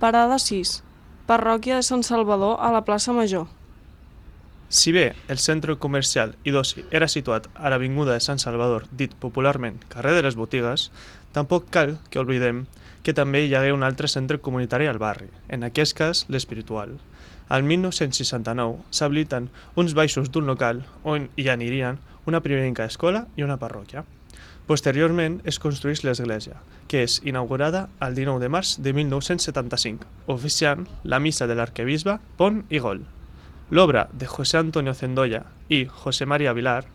Parada 6. Parròquia de Sant Salvador a la plaça Major. Si bé el centre comercial i d'oci era situat a l'avinguda de Sant Salvador, dit popularment carrer de les Botigues, tampoc cal que oblidem que també hi hagué un altre centre comunitari al barri, en aquest cas l'Espiritual. Al 1969 s'habiliten uns baixos d'un local on hi anirien una primerenca escola i una parròquia. Posteriorment es construeix l'església, que és inaugurada el 19 de març de 1975, oficiant la missa de l'arquebisbe Pont i Gol. L'obra de José Antonio Cendolla i José María Vilar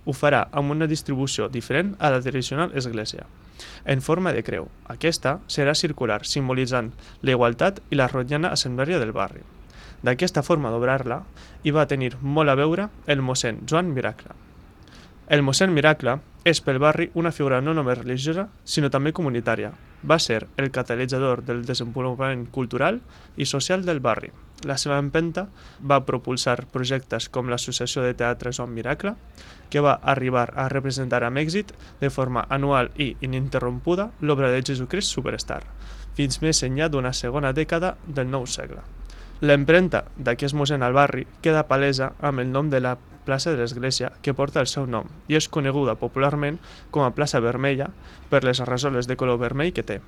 ho farà amb una distribució diferent a la tradicional església, en forma de creu. Aquesta serà circular, simbolitzant la igualtat i la rotllana assembleria del barri. D'aquesta forma d'obrar-la hi va tenir molt a veure el mossèn Joan Miracle. El mossèn Miracle és pel barri una figura no només religiosa, sinó també comunitària. Va ser el catalitzador del desenvolupament cultural i social del barri. La seva empenta va propulsar projectes com l'Associació de Teatre Joan Miracle, que va arribar a representar amb èxit de forma anual i ininterrompuda l'obra de Jesucrist Superstar, fins més enllà d'una segona dècada del nou segle. L'empremta d'aquest mossèn al barri queda palesa amb el nom de la plaça de l'església que porta el seu nom i és coneguda popularment com a plaça Vermella per les rajoles de color vermell que té.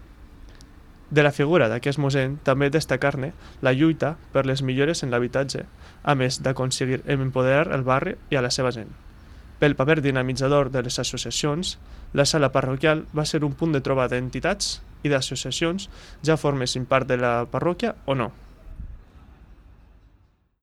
De la figura d'aquest mossèn també destacar-ne la lluita per les millores en l'habitatge, a més d'aconseguir empoderar el barri i a la seva gent. Pel paper dinamitzador de les associacions, la sala parroquial va ser un punt de trobada d'entitats i d'associacions, ja formessin part de la parròquia o no.